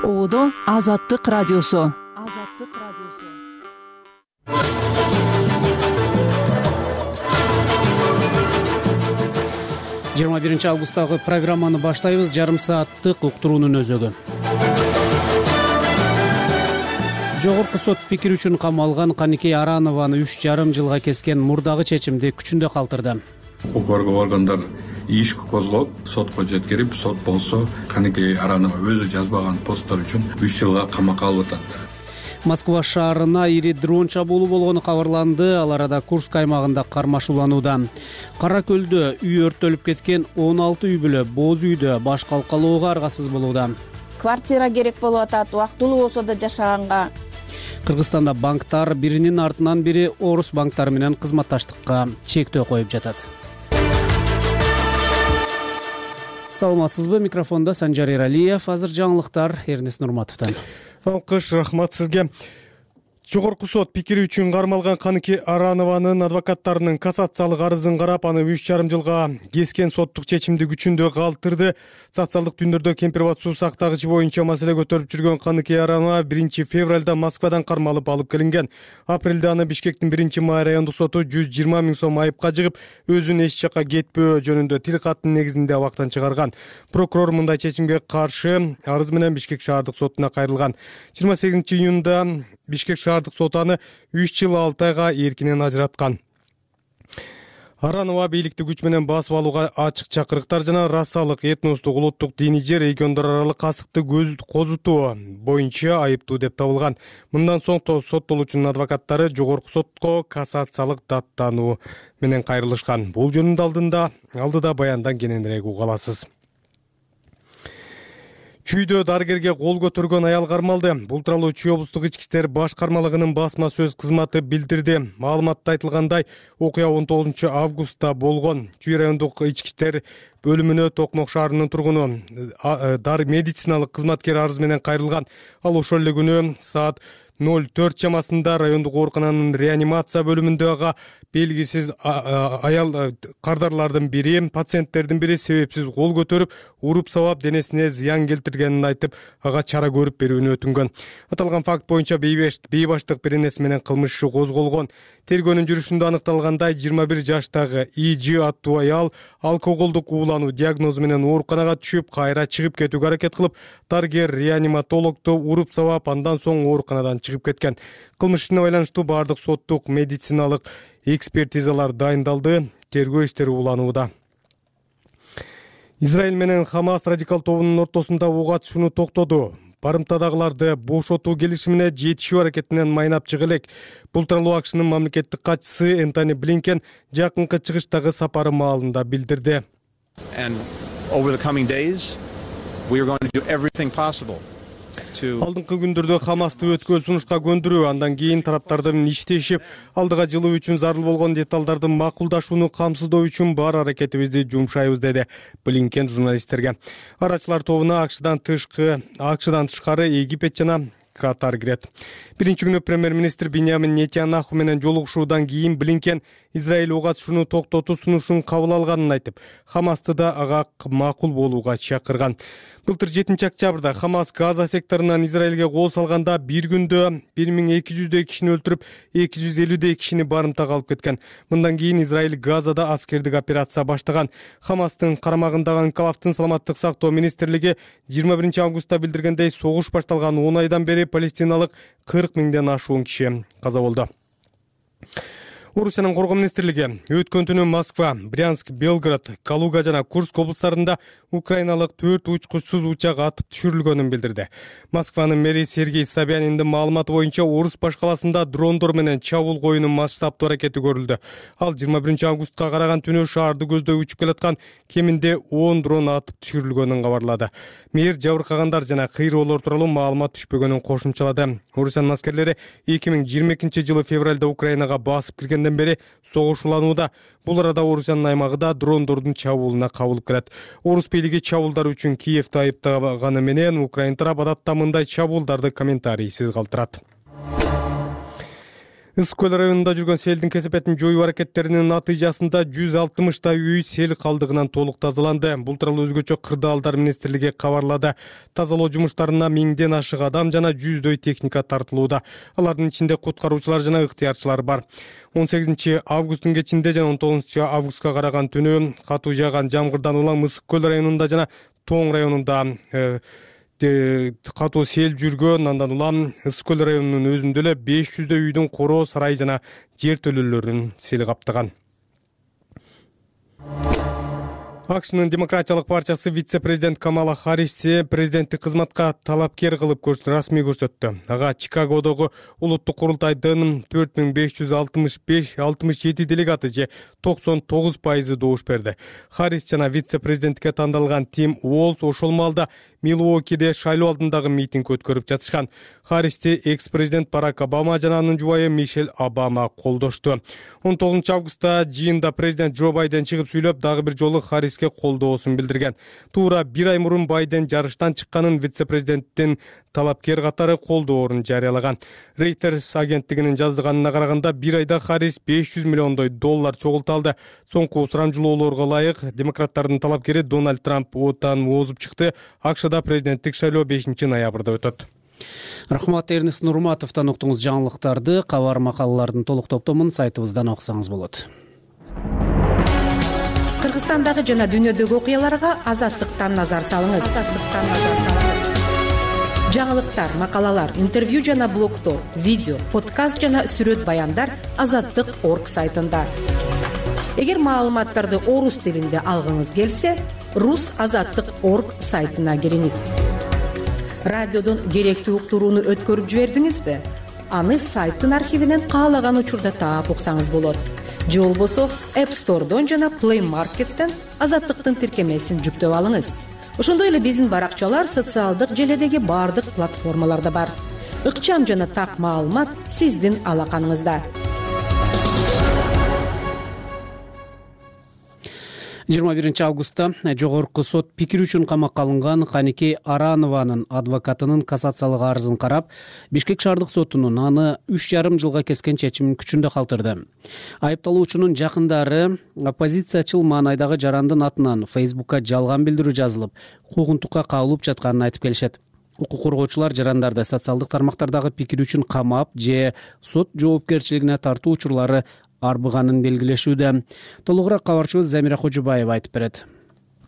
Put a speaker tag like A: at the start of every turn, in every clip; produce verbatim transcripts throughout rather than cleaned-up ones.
A: Оодо Азаттык радиосу. Азаттык радиосу.
B: жыйырма биринчи августтагы программаны баштайбыз. Жарым сааттык уктуруунун өзөгү. Жогорку сот пикир үчүн камалган Каникей Аранованы үч жарым жылга кескен мурдагы чечимди күчүндө калтырды.
C: Укук коргоо органдар иш козгоп, сотко жеткирип, сот болсо Каникей Аранова өзү жазбаган посттор үчүн үч жылга камакка алып атат.
B: Москва шаарына ири дрон чабуулу болгону кабарланды. Ал арада Курск аймагында кармашууланууда. Кара Көлдө үй өрттөлүп кеткен он алты үй бүлө боз үйдө баш калкалоого аргасыз болууда.
D: Квартира керек болуп атат, убактылуу болсо да жашаганга.
B: Кыргызстанда банктар биринин артынан бири орус банктары менен кызматташтыкка чектөө коюп жатат. Саламатсызбы? Микрофондо Санжар Эралиев. Азыр жаңылыктар Эрнест Нурматовдон.
E: Алкыш, рахмат сизге. Жогорку сот пикири үчүн кармалган Каникей Аранованын адвокаттарынын кассациялык арызын карап, аны үч жарым жылга кескен соттук чечимди күчүндө калтырды. Социалдык түндөрдө кемпир суу сактагычы боюнча маселе көтөрүп жүргөн Каникей Аранова биринчи февралда Москвадан кармалып алып келинген. Апрелде аны Бишкектин биринчи май райондук соту жүз жыйырма миң сом айыпка жыгып, өзүн эч жакка кетпөө жөнүндө тил каттын негизинде абактан чыгарган. Прокурор мындай чечимге каршы арыз менен Бишкек шаардык сотуна кайрылган. жыйырма сегизинчи июнда Бишкек шаардык соту аны үч жыл алты айга эркинен ажыраткан. Аранова бийликти күч менен басып алууга ачык чакырыктар жана расалык, этностук, улуттук, диний же региондор аралык кастыкты козутуу боюнча айыптуу деп табылган. Мындан соң соттолуучунун адвокаттары жогорку сотко кассациялык даттануу менен кайрылышкан. Бул жөнүндө алдында алдыда баяндан кененирээк уга аласыз. Чүйдө дарыгерге кол көтөргөн аял кармалды. Бул тууралуу Чүй облустук ички иштер башкармалыгынын басма сөз кызматы билдирди. Маалыматта айтылгандай, окуя он тогузунчу августта болгон. Чүй райондук ички иштер бөлүмүнө Токмок шаарынын тургуну дары медициналык кызматкер арыз менен кайрылган. Ал ошол эле күнү саат ноль төрт чамасында райондук оорукананын реанимация бөлүмүндөгү белгисиз аял кардарлардын бири, пациенттердин бири себепсиз кол көтөрүп, уруп сабап денесине зыян келтиргенин айтып, ага чара көрүп берүүнү өтүнгөн. Аталган факт боюнча бейбаштык беренеси менен кылмыш иши козголгон. Тергөөнүн жүрүшүндө аныкталгандай, жыйырма бир жаштагы И.Ж. аттуу аял алкоголдук уулануу диагнозу менен ооруканага түшүп, кайра чыгып кетүүгө аракет кылып, дарыгер реаниматологду уруп сабап, андан соң ооруканадан чыгып кеткен. Кылмыш ишине байланыштуу бардык соттук медициналык экспертизалар дайындалды. Тергөө иштери уланууда. Израиль менен Хамас радикал тобунун ортосунда ок атышууну токтоду. Барымтадагыларды бошотуу келишимине жетишүү аракетинен майнап чыга элек. Бул тууралуу АКШнын мамлекеттик катчысы Энтони Блинкен жакынкы чыгыштагы сапары маалында билдирди. Алдыңкы күндөрдө Хамасты өткөн сунушка көндүрүү, андан кийин тараптардын иштешип, алдыга жылуу үчүн зарыл болгон деталдарды макулдашууну камсыздоо үчүн бар аракетибизди жумшайбыз, деди Блинкен журналисттерге. Арачылар тобуна АКШдан тышкы, АКШдан тышкары Египет жана Катар кирет. Биринчи күнү премьер-министр Биньямин Нетаньяху менен жолугушуудан кийин Блинкен Израиль ок атышууну токтотуу сунушун кабыл алганын айтып, Хамасты да ага макул болууга чакырган. Былтыр жетинчи октябрда Хамас Газа секторунан Израилге кол салганда бир күндө бир миң эки жүздөй кишини өлтүрүп, эки жүз элүүдөй кишини барымтага алып кеткен. Мындан кийин Израиль Газада аскердик операция баштаган. Хамастын карамагындагы Анкалавдын саламаттык сактоо министрлиги жыйырма биринчи августта билдиргендей, согуш башталган он айдан бери палестиналык кырк миңден ашуун киши каза болду. Орусиянын коргоо министрлиги өткөн түнү Москва, Брянск, Белгород, Калуга жана Курск облустарында украиналык төрт учкучсуз учак атып түшүрүлгөнүн билдирди. Москванын мэри Сергей Собяниндин маалыматы боюнча, Орус баш каласында дрондор менен чабуул коюунун масштабтуу аракети көрүлдү. Ал жыйырма биринчи августка караган түнү шаарды көздөй учуп келаткан кеминде он дрон атып түшүрүлгөнүн кабарлады. Мэр жабыркагандар жана кыйроолор тууралуу маалымат түшпөгөнүн кошумчалады. Орусиянын аскерлери эки миң жыйырма экинчи жылы февралда Украинага басып киргенден бери согуш уланууда. Бул арада Орусиянын аймагында дрондордун чабуулуна кабылып келет. Орус бийлиги чабуулдар үчүн Киевти айыптаганы менен, Украин тарап адатта мындай чабуулдарды комментарийсиз калтырат. Ысык көл районунда жүргөн селдин кесепетин жоюу аракеттеринин натыйжасында жүз алтымыштай үй сел калдыгынан толук тазаланды. Бул тууралуу өзгөчө Кырдаалдар министрлиги кабарлады. Тазалоо жумуштарына миңден ашык адам жана жүздөй техника тартылууда. Алардын ичинде куткаруучулар жана ыктыярчылар бар. он сегизинчи августтун кечинде жана он тогузунчу августка караган түнү катуу жааган жамгырдан улам Ысык көл районунда жана Тоң районунда катуу сел жүргөн. Андан улам Ысык көл районунун өзүндө эле беш жүздөй үйдүн короо, сарай жана жертөлөлөрүн сел каптаган. АКШнын Демократиялык партиясы вице-президент Камала Харристи президенттик кызматка талапкер кылып расмий көрсөттү. Ага Чикагодогу улуттук курултайдын төрт миң беш жүз алтымыш беш алтымыш жети делегаты же токсон тогуз пайызы добуш берди. Харрис жана вице-президентке тандалган Тим Уолс ошол маалда Милуокиде шайлоо алдындагы митинг өткөрүп жатышкан. Харристи экс-президент Барак Обама жана анын жубайы Мишель Обама колдошту. он тогузунчу августта жыйында президент Джо Байден чыгып сүйлөп, дагы бир жолу Харриске колдоосун билдирген. Туура бир ай мурун Байден жарыштан чыкканын вице-президенттин талапкер катары колдоорун жарыялаган. Reuters агенттигинин жазганына караганда бир айда Харрис беш жүз миллиондой доллар чогулталды. Соңку сурамжылоолорго ылайык демократтардын талапкери Дональд Трамп отан озуп чыкты. АКШда президенттик шайлоо бешинчи ноябрда өтөт.
B: Рахмат, Эрнест Нурматовдон уктуңуз жаңылыктарды. Кабар макалалардын толук топтомун сайтыбыздан окусаңыз болот.
F: Кыргызстандагы жана дүйнөдөгү окуяларга Азаттыктан назар салыңыз. Азаттыктан назар салыңыз. Жаңылыктар, макалалар, интервью жана блогтор, видео, подкаст жана сүрөт баяндар азаттык точка орг сайтында. Эгер маалыматтарды орус тилинде алгыңыз келсе, рус азаттык точка орг сайтына кириңиз. Радиодон керектүү уктурууну өткөрүп жибердиңизби? Аны сайттын архивинен каалаган учурда таап уксаңыз болот. Же болбосо App Store'дон жана Play Market'тен Азаттыктын тиркемесин жүктөп алыңыз. Ошондой эле биздин баракчалар социалдык желедеги бардык платформаларда бар. Ыкчам жана так маалымат сиздин алаканыңызда.
B: жыйырма биринчи августта жогорку сот пикир үчүн камакка алынган Каникей Аранованын адвокатынын кассациялык арызын карап, Бишкек шаардык сотунун аны үч жарым жылга кескен чечимин күчүндө калтырды. Айыпталуучунун жакындары оппозициячыл маанайдагы жарандын атынан Facebook'ка жалган билдирүү жазылып, куугунтукка кабылып жатканын айтып келишет. Укук коргоочулар жарандарды социалдык тармактардагы пикир үчүн камап же сот жоопкерчилигине тартуу учурлары арбыганын белгилешүүдө. Толугураак кабарчыбыз Замира Кожубаева айтып берет.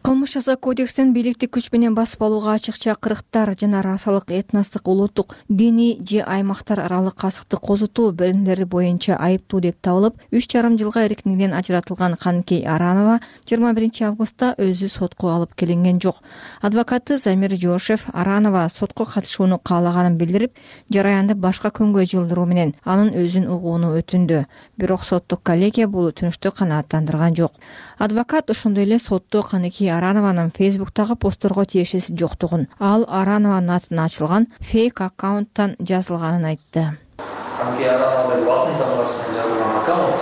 G: Кылмыш жаза кодекстин бийликтик күч менен басып алууга ачыкча кырктар жана расалык, этностук, улуттук, диний же аймактар аралык касыкты козутуу беренелери боюнча айыптуу деп табылып, үч жарым жылга эркиндигинен ажыратылган Каникей Аранова жыйырма биринчи августта өзү сотко алып келинген жок. Адвокаты Замир Жошев Аранова сотко катышууну каалаганын билдирип, жараянды башка күнгө жылдыруу менен анын өзүн угууну өтүндү. Бирок соттук коллегия бул өтүнүштү канааттандырган жок. Адвокат ошондой эле сотто Каникей Аранованын Facebook'тагы постторго тиешеси жоктугун, ал Аранованын атына ачылган фейк аккаунттан жазылганын айтты.
H: Каникей Аранова латын тамгасынан жазылган аккаунт,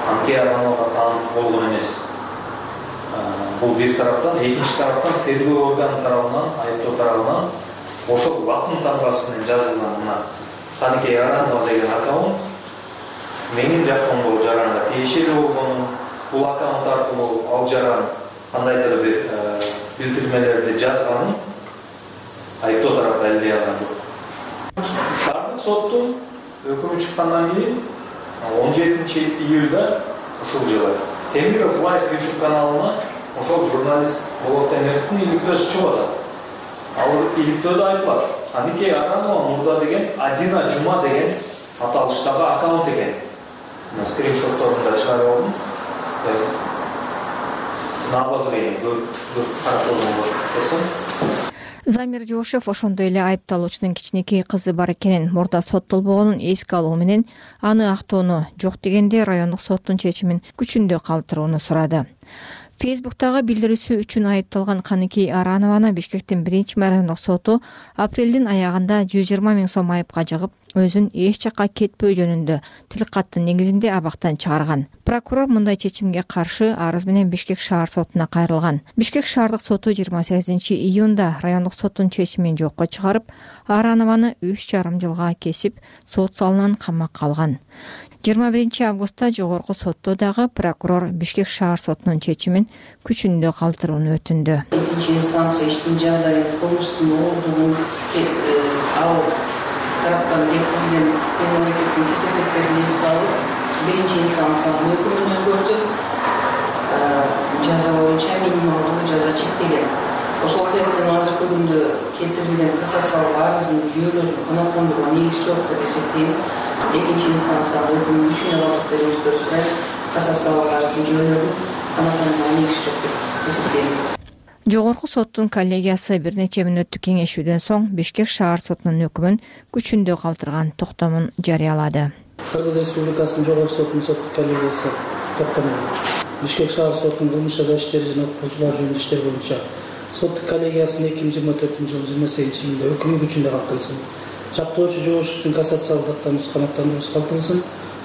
H: Каникей Аранова таанып болгон эмес. Бул бир тараптан, экинчи тараптан тергөө органы тарабынан, айыптоо тарабынан ошол латын тамгасы менен жазылган мына Каникей Аранова деген аккаунт менин жаккомдогу жаранга тиешелүү болгонун, бул аккаунт аркылуу ал жаран кандайдыр бир билдирмелерди жазганын айыптоо тарап далилдей алган жок. Шаардык соттун өкүмү чыккандан кийин он жетинчи июлда ушул жылы Темиров Лайф YouTube каналына ошол журналист Болот Темировдун иликтөөсү чыгып атат. Ал иликтөөдө айтылат, Каникей Аранова мурда деген Адина Жума деген аталыштагы аккаунт экен. Мына скриншотторунда чыгарып алдым.
G: Замир Жошев ошондой эле айыпталуучунун кичинекей кызы бар экенин, мурда соттолбогонун эске алуу менен аны актоону, жок дегенде райондук соттун чечимин күчүндө калтырууну сурады. Фейсбуктагы билдирүүсү үчүн айыпталган Каныкей Аранованы Бишкектин биринчи райондук соту апрелдин аягында жүз жыйырма миң сом айыпка жыгып, өзүн эч жакка кетпөө жөнүндө тил каттын негизинде абактан чыгарган. Прокурор мындай чечимге каршы арыз менен Бишкек шаар сотуна кайрылган. Бишкек шаардык соту жыйырма сегизинчи июнда райондук соттун чечимин жокко чыгарып, Аранованы үч жарым жылга кесип, сот залынан камакка алган. жыйырма биринчи августта жогорку сотто дагы прокурор Бишкек шаар сотунун чечимин күчүндө калтырууну өтүндү.
I: Экинчи инстанция иштин жагдайын кылмыштын ордугун алып, тараптан келтирилген мамлекеттин кесепеттерин эске алып, биринчи инстанциянын өкүмүн өзгөртүп, жаза боюнча минималдуу жаза чектелген. Ошол себептен азыркы күндө келтирилген кассациялык арыздын жүйөлөрүн канааттандырууга негиз жок деп эсептейм. Экинчи инстанциянын өкүмүн күчүнө калтырып берүүңүздөрдү сурайм. Кассациялык арыздын жүйөлөрүн канааттандырууга негиз жок деп эсептейм.
G: Жогорку соттун коллегиясы бир нече мүнөттүк кеңешүүдөн соң Бишкек шаар сотунун өкүмүн күчүндө калтырган токтомун жарыялады.
J: Кыргыз Республикасынын жогорку сотунун соттук коллегиясы токтомун Бишкек шаар сотунун кылмыш жаза иштери жана окуусулар жөнүндө иштер боюнча соттук коллегиясынын эки миң жыйырма төртүнчү жылы жыйырма сегизинчи июнда өкүмү күчүндө калтырылсын. Чактоочу жоошевдун кассациялык даттануусу канааттандыруусу калтырылсын.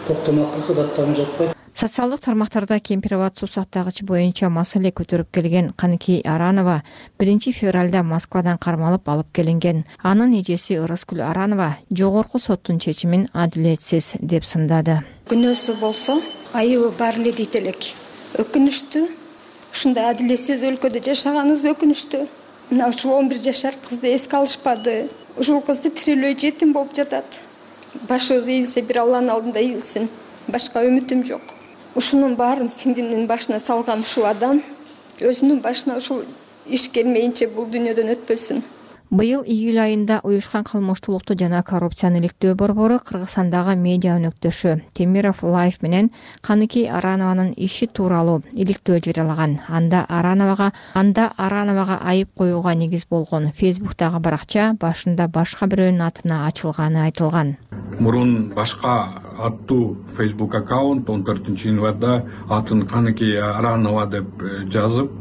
J: Токтом акыркы даттануу жатпайт.
G: Социалдык тармактарда кемпир-абад суу сактагычы боюнча маселе көтөрүп келген Каныкей Аранова биринчи февралда Москвадан кармалып алып келинген. Анын эжеси Ырыскүл Аранова жогорку соттун чечимин адилетсиз деп сындады.
K: Күнөөсү болсо, айыбы бар эле дейт элек. Өкүнүштүү. Ушундай адилетсиз өлкөдө жашаганыбыз өкүнүштүү. Мына ушул он бир жашар кызды эске алышпады. Ушул кызды тирелөө жетим болуп жатат. Башыбыз ийилсе, бир Алланын алдында ийилсин. Башка үмүтүм жок. Ушунун баарын сиңдимдин башына салган ушул адам өзүнүн башына ушул иш келмейинче бул дүйнөдөн өтпөсүн.
G: Быйыл июль айында уюшкан кылмыштуулукту жана коррупцияны иликтөө борбору Кыргызстандагы медиа өнөктөшү Темиров Лайф менен Каныкей Аранованын иши тууралуу иликтөө жарыялаган. Анда Арановага анда Арановага айып коюуга негиз болгон Фейсбуктагы баракча башында башка бирөөнүн атына ачылганы айтылган.
C: Мурун башка аттуу Facebook аккаунт он төртүнчү январда атын Каныкей Аранова деп жазып,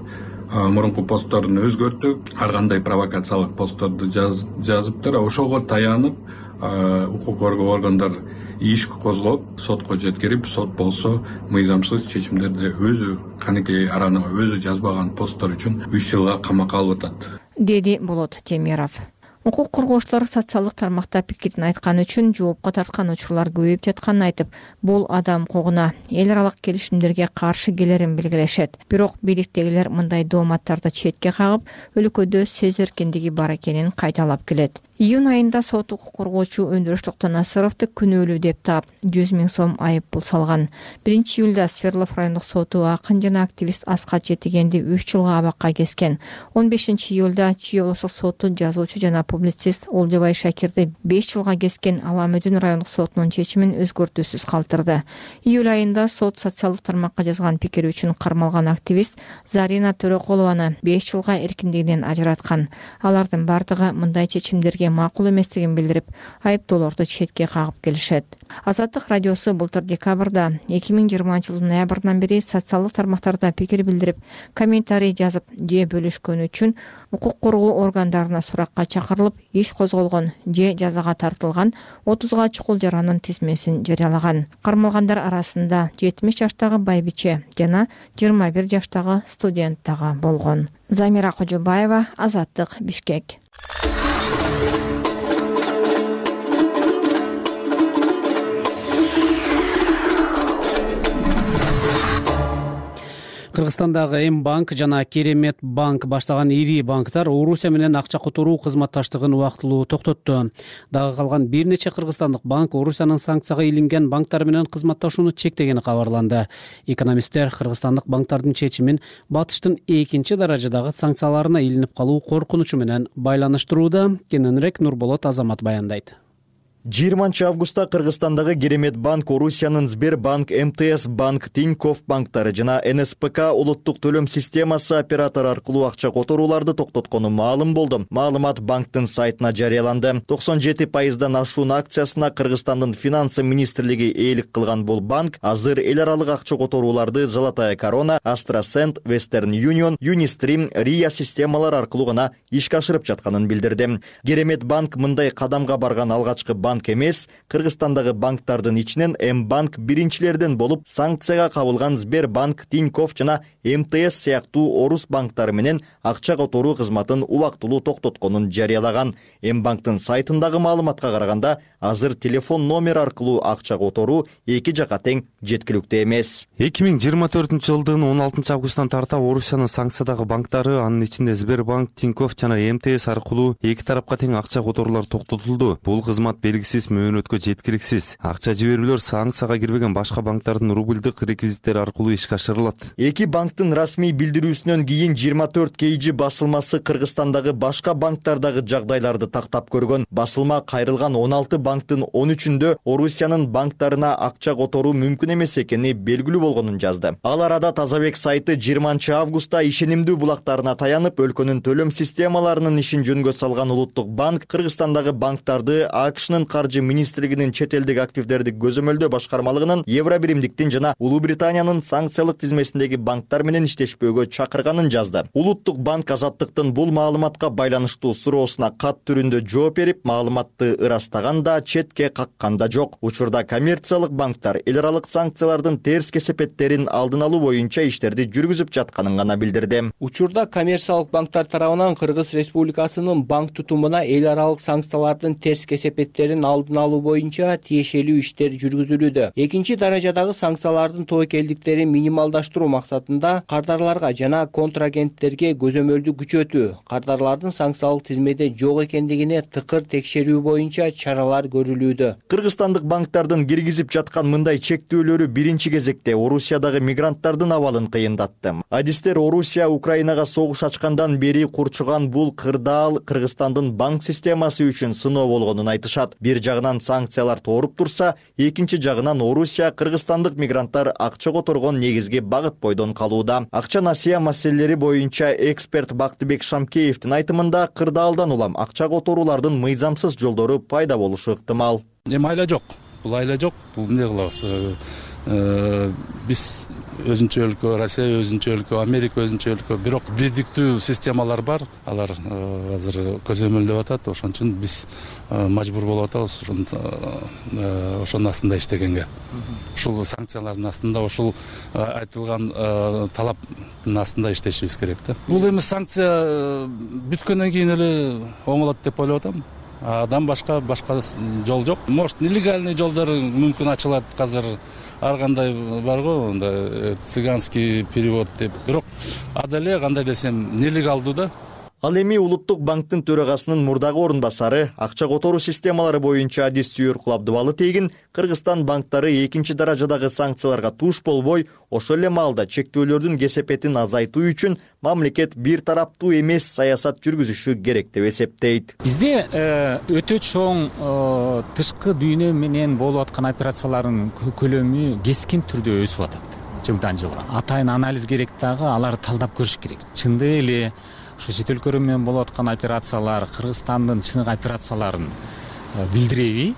C: мурунку постторун өзгөртүп, ар кандай провокациялык постторду жазыптыр. Ошого таянып, укук коргоо органдар иш козгоп, сотко жеткирип, сот болсо мыйзамсыз чечимдерди өзү Каныкей Аранова өзү жазбаган посттор үчүн үч жылга камакка алып атат,
G: деди Болот Темиров. Укук коргоочулар социалдык тармакта пикирин айткан үчүн жоопко тарткан учурлар көбөйүп жатканын айтып, бул адам куугуна, эл аралык келишимдерге каршы келерин белгилешет. Бирок бийликтегилер мындай дооматтарды четке кагып, өлкөдө сөз эркиндиги бар экенин кайталап келет. Июнь айында сот укук коргоочу Өндүрүш Токтонасыровду күнөөлүү деп таап, жүз миң сом айып пул салган. биринчи июлда Свердлов райондук соту акын жана активист Аскат Жетигенди үч жылга абакка кескен. он бешинчи июлда Чүй облустук соту жазуучу жана публицист Олжобай Шакирди беш жылга кескен Аламөдүн райондук сотунун чечимин өзгөртүүсүз калтырды. Июль айында сот социалдык тармакка жазган пикири үчүн кармалган активист Зарина Төрөкулованы беш жылга эркиндигинен ажыраткан. Алардын бардыгы мындай чечимдерге макул эместигин билдирип, айыптоолорду четке кагып келишет. Азаттык радиосу былтыр декабрда эки миң жыйырманчы жылдын ноябрынан бери социалдык тармактарда пикир билдирип, комментарий жазып же бөлүшкөн үчүн укук коргоо органдарына суракка чакырылып, иш козголгон же жазага тартылган отузга чукул жаранын тизмесин жарыялаган. Кармалгандар арасында жетимиш жаштагы байбиче жана жыйырма бир жаштагы студент дагы болгон. Замира Кожобаева, Азаттык, Бишкек.
B: Кыргызстандагы М банк жана Керемет банк баштаган ири банктар Орусия менен акча которуу кызматташтыгын убактылуу токтотту. Дагы калган бир нече кыргызстандык банк Орусиянын санкцияга илинген банктар менен кызматташууну чектегени кабарланды. Экономисттер кыргызстандык банктардын чечимин Батыштын экинчи даражадагы санкцияларына илинип калуу коркунучу менен байланыштырууда. Кененирээк Нурболот Азамат баяндайт.
L: жыйырманчы августта Кыргызстандагы Керемет банк, Орусиянын Сбербанк, эм тэ эс банк, Тинькофф банктары жана эн эс пэ ка улуттук төлөм системасы оператору аркылуу акча которууларды токтоткону маалым болду. Маалымат банктын сайтына жарыяланды. токсон жети пайыздан ашуун акциясына Кыргызстандын финансы министрлиги ээлик кылган бул банк азыр эл аралык акча которууларды Золотая корона, Астрасент, Вестерн Юнион, Юнистрим, Рия системалар аркылуу гана ишке ашырып жатканын билдирди. Керемет банк мындай кадамга барган алгачкы банк эмес, Кыргызстандагы банктардын ичинен М-банк биринчилерден болуп, санкцияга кабылган Сбербанк, Тинькофф жана эм тэ эс сыяктуу орус банктары менен акча которуу кызматын убактылуу токтотконун жарыялаган. М-банктын сайтындагы маалыматка караганда, азыр телефон номер аркылуу акча которуу эки жака тең жеткиликтүү эмес.
M: эки миң жыйырма төртүнчү жылдын он алтынчы августтан тарта Орусиянын санкциядагы банктары, анын ичинде Сбербанк, Тинькофф жана эм тэ эс аркылуу эки тарапка тең акча которуулар токтотулду. Бул кызмат белгисиз мөөнөткө жеткиликсиз. Акча жиберүүлөр санкцияга кирбеген башка банктардын рубльдык реквизиттери аркылуу ишке ашырылат.
L: Эки банктын расмий билдирүүсүнөн кийин жыйырма төрт кей жи басылмасы Кыргызстандагы башка банктардагы жагдайларды тактап көргөн. Басылма кайрылган он алты банктын он үчүндө Орусиянын банктарына акча которуу мүмкүн эмес экени белгилүү болгонун жазды. Ал арада Тазабек сайты жыйырманчы августта ишенимдүү булактарына таянып, өлкөнүн төлөм системаларынын ишин жөнгө салган улуттук банк Кыргызстандагы банктарды а ка шнын каржы министрлигинин чет элдик активдерди көзөмөлдөө башкармалыгынын, Евробиримдиктин жана Улуу Британиянын санкциялык тизмесиндеги банктар менен иштешпөөгө чакырганын жазды. Улуттук банк Азаттыктын бул маалыматка байланыштуу суроосуна кат түрүндө жооп берип, маалыматты ырастаган да, четке каккан да жок. Учурда коммерциялык банктар эл аралык санкциялардын терс кесепеттерин алдын алуу боюнча иштерди жүргүзүп жатканын гана билдирди.
N: Учурда коммерциялык банктар тарабынан Кыргыз Республикасынын банк тутумуна эл аралык санкциялардын терс кесепеттерин алдын алуу боюнча тиешелүү иштер жүргүзүлүүдө. Экинчи даражадагы санкциялардын тобокелдиктерин минималдаштыруу максатында кардарларга жана контрагенттерге көзөмөлдү күчөтүү, кардарлардын санкциялык тизмеде жок экендигине тыкыр текшерүү боюнча чаралар көрүлүүдө.
L: Кыргызстандык банктардын киргизип жаткан мындай чектөөлөрү биринчи кезекте Орусиядагы мигранттардын абалын кыйындатты. Адистер Орусия Украинага согуш ачкандан бери курчуган бул кырдаал Кыргызстандын банк системасы үчүн сыноо болгонун айтышат. Бир жагынан санкциялар тооруп турса, экинчи жагынан Орусия кыргызстандык мигранттар акча которгон негизги багыт бойдон калууда. Акча насыя маселелери боюнча эксперт Бактыбек Шамкеевдин айтымында, кырдаалдан улам акча которуулардын мыйзамсыз жолдору пайда болушу ыктымал.
O: Эми айла жок. Бул айла жок. Бул эмне кылабыз? Биз өзүнчө өлкө, Россия өзүнчө өлкө, Америка өзүнчө өлкө, бирок бирдиктүү системалар бар. Алар азыр көзөмөлдөп атат. Ошон үчүн биз мажбур болуп атабыз ошонун астында иштегенге. Ушул санкциялардын астында, ушул айтылган талаптын астында иштешибиз керек да. Бул эми санкция бүткөндөн кийин эле оңолот деп ойлоп атам. Адам башка башка жол жок. Может, нелегальный жолдор мүмкүн ачылат азыр. Ар кандай бар го, анда цыганский перевод деп. Бирок ада эле кандай десем нелегалдуу да.
L: Ал эми улуттук банктын төрагасынын мурдагы орун басары, акча которуу системалары боюнча адис сүйөр Кулабдыбалы тегин, Кыргызстан банктары экинчи даражадагы санкцияларга туш болбой, ошол эле маалда чектөөлөрдүн кесепетин азайтуу үчүн мамлекет бир тараптуу эмес саясат жүргүзүшү керек деп эсептейт.
P: Бизде өтө чоң тышкы дүйнө менен болуп аткан операциялардын көлөмү кескин түрдө өсүп атат жылдан жылга. Атайын анализ керек дагы, аларды талдап көрүш керек. Чындык эле ошо чет өлкөлөр менен болуп аткан операциялар Кыргызстандын чыныгы операцияларын билдиреби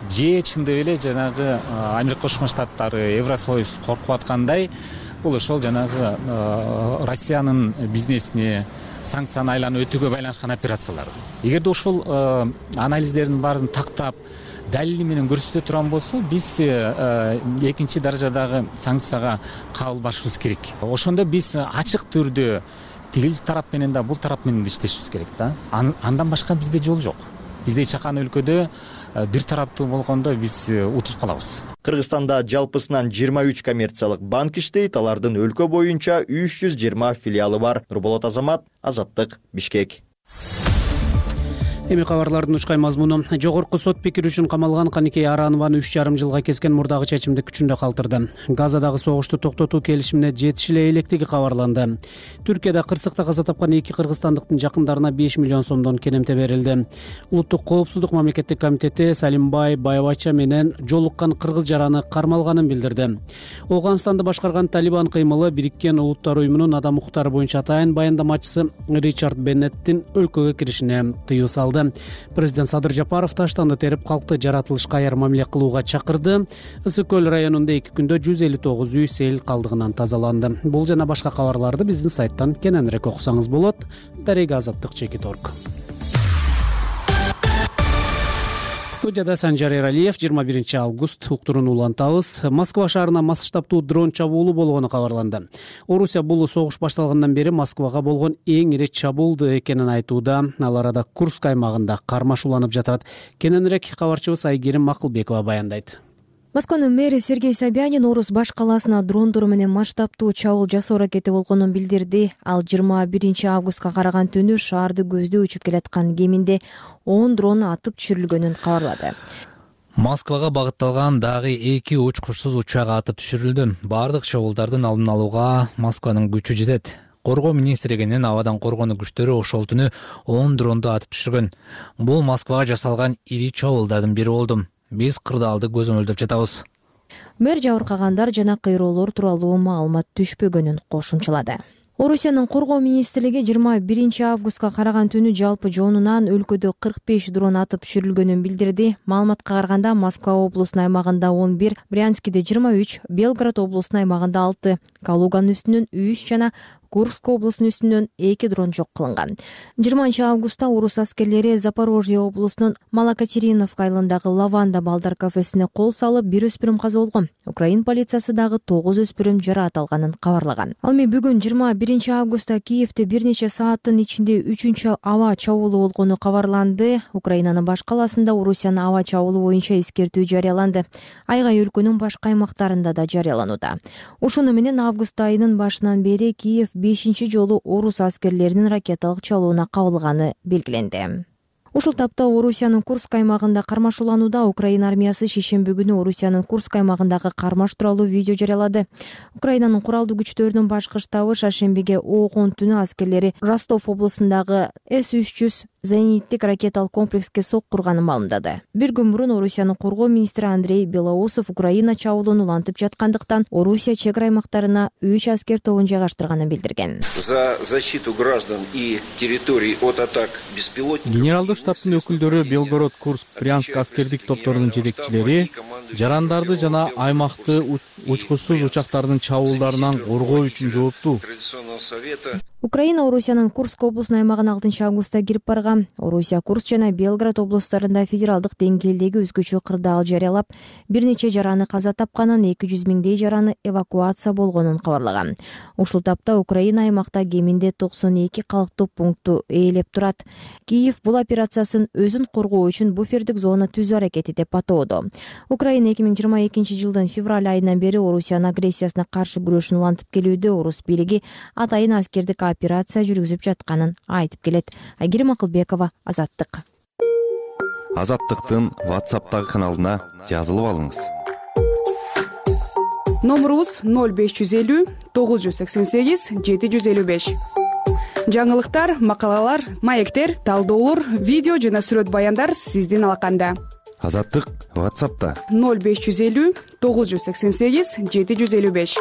P: же чындап эле жанагы Америка Кошмо Штаттары, Евросоюз коркуп аткандай бул ошол жанагы Россиянын бизнесине санкцияны айланып өтүүгө байланышкан операциялар. Эгерде ошол анализдердин баарын тактап далили менен көрсөтө турган болсо, биз экинчи даражадагы санкцияга кабылбашыбыз керек. Ошондо биз ачык түрдө тигил тарап менен да, бул тарап менен да иштешибиз керек да. Андан башка бизде жол жок. Бизде чакан өлкөдө бир тараптуу болгондо биз утуп калабыз.
L: Кыргызстанда жалпысынан жыйырма үч коммерциялык банк иштейт, алардын өлкө боюнча үч жүз жыйырма филиалы бар. Нурболот Азамат, Азаттык, Бишкек.
B: Эми кабарлардын учкай мазмуну. Жогорку сот пикир үчүн камалган Каникей Аранованы үч жарым жылга кескен мурдагы чечимди күчүндө калтырды. Газадагы согушту токтотуу келишимине жетиш эле электиги кабарланды. Түркияда кырсыкта каза тапкан эки кыргызстандыктын жакындарына беш миллион сомдон кенемте берилди. Улуттук коопсуздук мамлекеттик комитети Салимбай Байбача менен жолуккан кыргыз жараны кармалганын билдирди. Ооганстанды башкарган Талибан кыймылы Бириккен Улуттар уюмунун адам укуктары боюнча атайын баяндамачысы Ричард Беннеттин өлкөгө киришине тыюу салды. Президент Садыр Жапаров таштанды терип калкты жаратылышка аяр мамиле кылууга чакырды. Ысык көл районунда эки күндө жүз элүү тогуз үй сел калдыгынан тазаланды. Бул жана башка кабарларды биздин сайттан кененирээк окусаңыз болот. Дарега Азаттык Чекит точка орг. Студияда Санжар Эралиев. жыйырма биринчи август уктуруну улантабыз. Москва шаарына масштабтуу дрон чабуулу болгону кабарланды. Орусия бул согуш башталгандан бери Москвага болгон эң ири чабуул экенин айтууда. Ал арада Курск аймагында кармаш уланып жатат. Кененирээк кабарчыбыз Айгерим Макылбекова баяндайт.
Q: Москванын мэри Сергей Собянин Орус баш калаасына дрондор менен масштабтуу чабуул жасоо аракети болгонун билдирди. Ал жыйырма биринчи августка караган түнү шаарды көздөй учуп келаткан кеминде он дрон атып түшүрүлгөнүн кабарлады.
R: Москвага багытталган дагы эки учкучсуз учак атып түшүрүлдү. Бардык чабуулдардын алдын алууга Москванын күчү жетет. Коргоо министрлигинин абадан коргонуу күчтөрү ошол түнү он дронду атып түшүргөн. Бул Москвага жасалган ири чабуулдардын бири болду. Биз кырдаалды көзөмөлдөп жатабыз.
Q: Мэр жабыркагандар жана кыйроолор тууралуу маалымат түшпөгөнүн кошумчалады. Орусиянын коргоо министрлиги жыйырма биринчи августка караган түнү жалпы жонунан өлкөдө кырк беш дрон атып түшүрүлгөнүн билдирди. Маалыматка караганда Москва облусунун аймагында он бир, Брянскиде жыйырма үч, Белгород облусунун аймагында алты, Калуганын үстүнөн үч жана Курск облусунун үстүнөн эки дрон жок кылынган. жыйырманчы августта орус аскерлери Запорожье облусунун Малокатериновка айылындагы Лаванда балдар кафесине кол салып, бир өспүрүм каза болгон. Украин полициясы дагы тогуз өспүрүм жараат алганын кабарлаган. Ал эми бүгүн жыйырма биринчи августта Киевде бир нече сааттын ичинде үчүнчү аба чабуулу болгону кабарланды. Украинанын баш калаасында Орусиянын аба чабуулу боюнча эскертүү жарыяланды. Айгай өлкөнүн башка аймактарында да жарыяланууда. Ушуну менен август айынын башынан бери Киев бешинчи жолу орус аскерлеринин ракеталык чалууна кабылганы белгиленди. Ушул тапта Орусиянын Курск аймагында кармаш уланууда. Украина армиясы шейшемби күнү Орусиянын Курск аймагындагы кармаш тууралуу видео жарыялады. Украинанын куралдуу күчтөрүнүн башкы штабы шаршембиге огон түнү аскерлери Ростов облусундагы эс үч жүз зениттик ракеталык комплекске соккурганын маалымдады. Бир күн мурун Орусиянын коргоо министри Андрей Белоусов Украина чабуулун улантып жаткандыктан Орусия чек ара аймактарына үч аскер тобун жайгаштырганын билдирген.
S: За защиту граждан и территорий от атак беспилотников.
T: Генералдык штабтын өкүлдөрү Белгород, Курск, Брянск аскердик топторунун жетекчилери жарандарды жана аймакты учкучсуз учактардын чабуулдарынан коргоо үчүн жооптуу.
Q: Украина Орусиянын Курск облусунун аймагына алтынчы августта кирип барган. Орусия Курск жана Белгород облустарында федералдык деңгээлдеги өзгөчө кырдаал жарыялап, бир нече жараны каза тапканын, эки жүз миңдей жараны эвакуация болгонун кабарлаган. Ушул тапта Украина аймакта кеминде токсон эки калктуу пунктту ээлеп турат. Киев бул операциясын өзүн коргоо үчүн буфердик зона түзүү аракети деп атоодо. Украина эки миң жыйырма экинчи жылдын февраль айынан бери Орусиянын агрессиясына каршы күрөшүн улантып келүүдө. Орус бийлиги атайын аскердик операция жүргүзүп жатканын айтып келет. Айгерим Макылбекова, Азаттык.
M: Азаттыктын WhatsApp'тагы каналына жазылып алыңыз.
U: Номерубуз ноль беш жүз элүү тогуз жүз сексен сегиз жети жүз элүү беш. Жаңылыктар, макалалар, маектер, талдоолор, видео жана сүрөт баяндар сиздин алаканда.
M: Азаттык WhatsApp'та
U: ноль беш жүз элүү тогуз жүз сексен сегиз жети жүз элүү беш.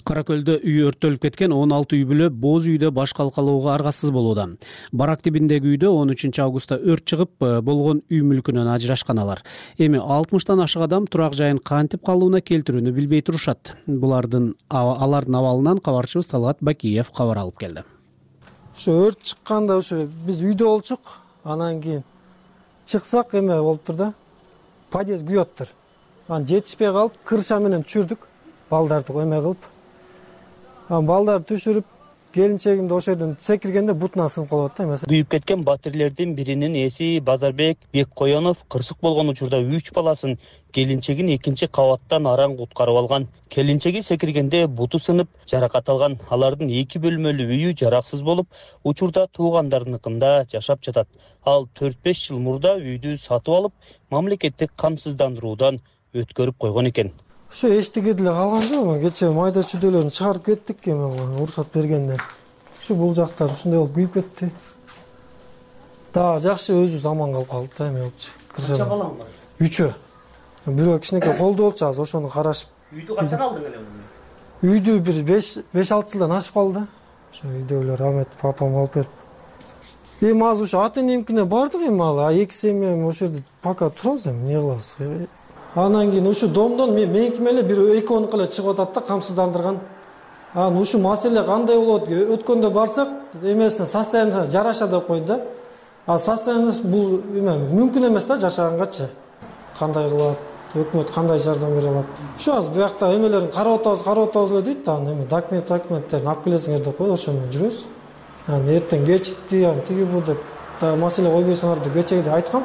B: Кара көлдө үй өрттөлүп кеткен он алты үй бүлө боз үйдө баш калкалоого аргасыз болууда. Барак тибиндеги үйдө он үчүнчү августта өрт чыгып, болгон үй мүлкүнөн ажырашкан алар. Эми алтымыштан ашык адам турак жайын кантип калууна келтирүүнү билбей турушат. Булардын алардын абалынан кабарчыбыз Талгат Бакиев кабар алып келди.
V: Ушу өрт чыкканда ушу биз үйдө болчук, анан кийин чыксак эме болуптур да. Подъезд күйөттүр. Анан жетишпей калып, крыша менен түшүрдүк. Балдарды эме кылып. Балдар түшүрүп, келинчегимди ошол жерден секиргенде бутуна сынып калат да эмесе.
A: Күйүп кеткен батирлердин биринин ээси Базарбек Беккоенов кырсык болгон учурда үч баласын, келинчегин экинчи кабаттан араң куткарып алган. Келинчеги секиргенде буту сынып жаракат алган. Алардын эки бөлмөлүү үйү жараксыз болуп, учурда туугандарыныкында жашап жатат. Ал төрт беш жыл мурда үйдү сатып алып, мамлекеттик камсыздандыруудан өткөрүп койгон экен.
V: Ошо эчтеке деле калган жок. Кечээ майда чүйдөлөрүн чыгарып кеттик эми уруксат бергенде. Ушу бул жактар ушундай болуп күйүп кетти. Да жакшы өзүбүз аман калып калдык да эме болчу.
D: Канча балаң бар?
V: Үчөө. Бирөө кичинекей колдо болчу азыр ошону карашып.
D: Үйдү качан алдың эле?
V: Үйдү бир беш алты жылдан ашып калды. Ошо үйдөгүлөр рахмет папам алып берип. Эми азыр ушу ата энемкине бардык эми ал эки семья ошол жерде пока турабыз эми эмне кылабыз. Анан кийин ушу домдон меникиме эле бир экөөнүкү эле чыгып атат да камсыздандырган. Анан ушу маселе кандай болот? Өткөндө барсак, эмесине состояние жараша деп койду да. А состояние бул эме мүмкүн эмес да жашагангачы. Кандай кылат? Өкмөт кандай жардам бере алат? Ушу азыр буякта эмелерин карап атабыз, карап атабыз эле дейт да. Эме документ, документтерин алып келесиңер деп койду, ошо менен жүрөбүз. Анан эртең кечикти, анан тиги бу деп да маселе койбойсуңар деп кечеге айткам.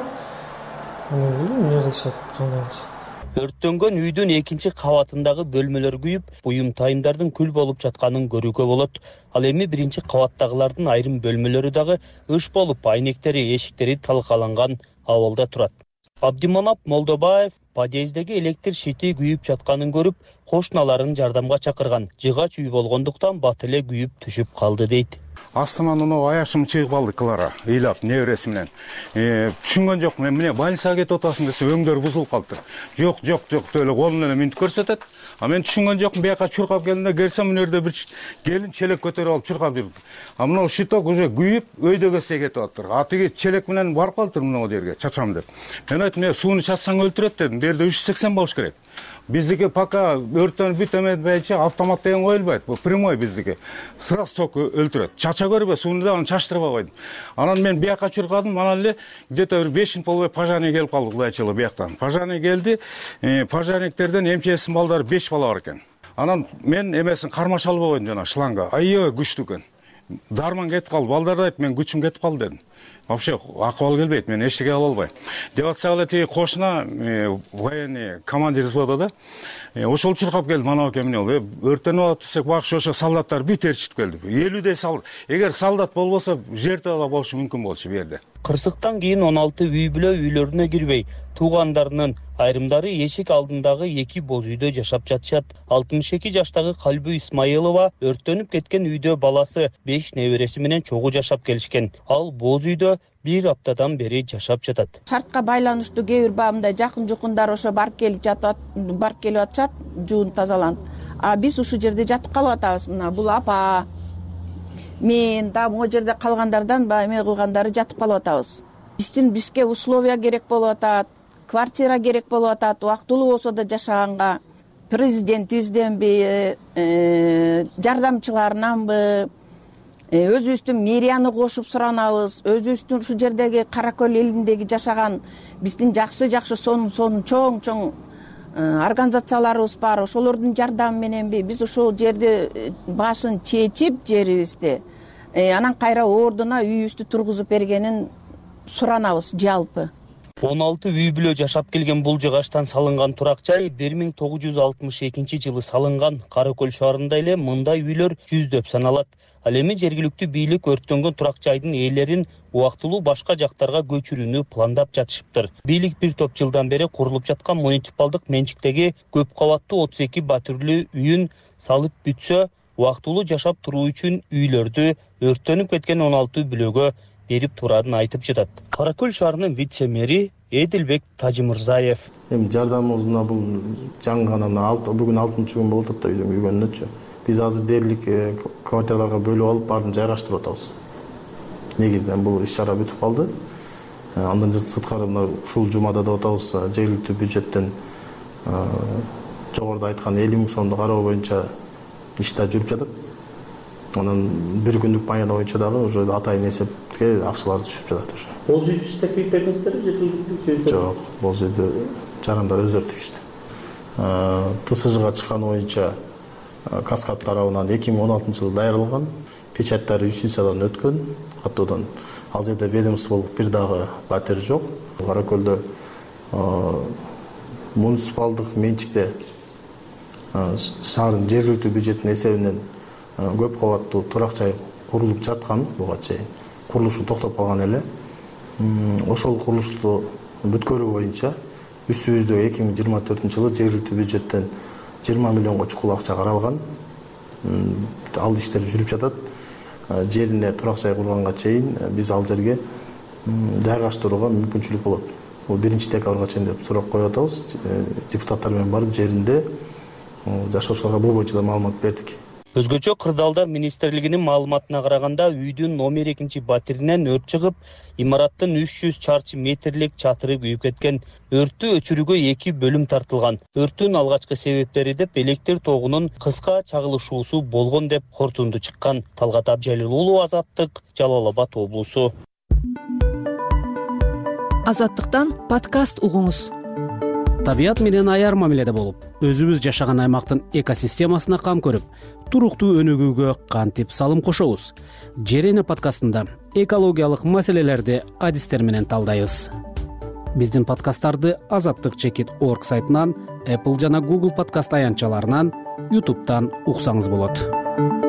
V: Анан билбейм эмне кылышат, кандай кылышат.
A: Өрттөнгөн үйдүн экинчи кабатындагы бөлмөлөр күйүп, буюм тайымдардын күл болуп жатканын көрүүгө болот. Ал эми биринчи кабаттагылардын айрым бөлмөлөрү дагы ыш болуп, айнектери, эшиктери талкаланган абалда турат. Абдиманап Молдобаев подъездеги электр шити күйүп жатканын көрүп, кошуналарын жардамга чакырган. Жыгач үй болгондуктан бат эле күйүп түшүп калды дейт.
W: Астынан оно аяшым чыгып калды Клара, ыйлап небереси менен. Түшүнгөн жокмун, мен эмне больницага кетип атасың десе, өңдөр бузулуп калыптыр. Жок, жок, жок деп эле колун менен минтип көрсөтөт. А мен түшүнгөн жокмун, бияка чуркап келгенде келсем, мына жерде бир келин челек көтөрүп алып чуркап жүрүп. А мына щиток уже күйүп, өйдөгөсө кетип атыптыр. А тиги челек менен барып калыптыр мына жерге, чачам деп. Мен айттым, "Мен сууну чачсаң өлтүрөт" дедим. Бу жерде үч жүз сексен болуш керек. Биздики пока өрттөнүп бүт эметпейинче автомат деген коюлбайт. Бу прямой биздики. Сразу ток өлтүрөт. Чача көрбө, сууну да аны чачтырбай койдум. Анан мен бияка чуркадым, анан эле где-то бир беш минут болбой пожарный келип калды кудайчылыгы бияктан. Пожарный келди, пожарниктерден МЧСтин балдары беш бала бар экен. Анан мен эмесин кармаша албай койдум жана шланга. Аябай күчтүү экен. Дарман кетип калды. Балдар айт, мен күчүм кетип калды дедим. Вообще акыбал келбейт, мен эчтеке кыла албайм. Деп атсак эле тиги кошуна военный командир взвода да. Ошол чуркап келди, манабу экен эмне болду. Өрттөнүп алат десек, бакшы ошо солдаттар бүт ээрчитип келди. элүүдөй солдат. Эгер солдат болбосо, жертва да болушу мүмкүн болчу бу жерде.
A: Кырсыктан кийин он алты үй бүлө үйлөрүнө кирбей, туугандарынын айрымдары эшик алдындагы эки боз үйдө жашап жатышат. алтымыш эки жаштагы Калбү Исмаилова өрттөнүп кеткен үйдө баласы беш небереси менен чогуу жашап келишкен. Ал боз үйдө бир аптадан бери жашап жатат.
X: Шартка байланыштуу кээ бир бабындай жакын жукундар ошо барып келип жатат, барып келип атышат, жуун тазаланып. А биз ушул жерде жатып калып атабыз. Мына бул апа, мен да могу жерде калгандардан баягы эме кылгандары жатып калып атабыз. Биздин бизге условия керек болуп атат, квартира керек болуп атат, убактылуу болсо да жашаганга. Президентибизденби, жардамчыларынанбы, өзүбүздүн мэрияны кошуп суранабыз, өзүбүздүн ушул жердеги Кара Көл элиндеги жашаган биздин жакшы-жакшы сонун сонун чоң-чоң организацияларыбыз бар. Ошолордун жардамы мененби биз ушул жерди башын чечип жерибизди, анан кайра ордуна үйүбүздү тургузуп бергенин суранабыз жалпы.
A: он алты үй бүлө жашап келген бул жыгачтан салынган турак жай бир миң тогуз жүз алтымыш экинчи жылы салынган. Кара Көл шаарында эле мындай үйлөр жүздөп саналат. Ал эми жергиликтүү бийлик өрттөнгөн турак жайдын ээлерин убактылуу башка жактарга көчүрүүнү пландап жатышыптыр. Бийлик бир топ жылдан бери курулуп жаткан муниципалдык менчиктеги көп кабаттуу отуз эки батирлүү үйүн салып бүтсө, убактылуу жашап туруу үчүн үйлөрдү өрттөнүп кеткен он алты бүлөгө берип тураарын айтып жатат. Кара Көл шаарынын вице-мэри Эдилбек Тажимырзаев.
Y: Эми жардамыбыз бул жаңы гана бүгүн алтынчы күн болуп атат да үйдөн күйгөнүнөчү. Биз азыр дээрлик квартираларга бөлүп алып, баарын жайгаштырып атабыз. Негизинен бул иш-чара бүтүп калды. Андан сырткары мына ушул жумада деп атабыз, жергиликтүү бюджеттен жогоруда айткан элүү миң сомду кароо боюнча иштер жүрүп жатат. Анан бир күндүк баяна боюнча дагы уже атайын эсепке акчалар түшүп жатат уже.
D: Боз үйдү иштеп күйүп бердиңиздерби, жергиликтүү?
Y: Жок, боз үйдү жарандар өздөрү тигишти. ТСЖга чыкканы боюнча Каскад тарабынан эки миң он алтынчы жылы даярдалган. печаттары юстициядан өткөн каттоодон. Ал жерде ведомстволук бир дагы батир жок. Кара көлдө муниципалдык менчикте шаардын жергиликтүү бюджеттин эсебинен көп кабаттуу турак жай курулуп жаткан буга чейин. Курулушу токтоп калган эле. Ошол курулушту бүткөрүү боюнча үстүбүздө эки миң жыйырма төртүнчү жылы жергиликтүү бюджеттен жыйырма миллионго чукул акча каралган. Ал иштер жүрүп жатат. Жерине турак жай курганга чейин биз ал жерге жайгаштырууга мүмкүнчүлүк болот. Бул биринчи декабрга чейин деп сурак коюп атабыз. Депутаттар менен барып жеринде жашоочуларга бул боюнча да маалымат бердик.
A: Өзгөчө Кырдаалдар министрлигинин маалыматына караганда үйдүн номер экинчи батиринен өрт чыгып, имараттын үч жүз чарчы метрлик чатыры күйүп кеткен. Өрттү өчүрүүгө эки бөлүм тартылган. Өрттүн алгачкы себептери деп электр тогунун кыска чагылышуусу болгон деп кортунду чыккан. Талгат Абжалил уулу, Азаттык, Жалал Абад облусу.
E: Азаттыктан подкаст угуңуз.
B: Табият менен аяр мамиледе болуп, өзүбүз жашаган аймактын экосистемасына кам көрүп, туруктуу өнүгүүгө кантип салым кошобуз? Жерене подкастында экологиялык маселелерди адистер менен талдайбыз. Биздин подкасттарды азаттык чекит орг сайтынан, Apple жана Google подкаст аянтчаларынан, YouTube'дан уксаңыз болот.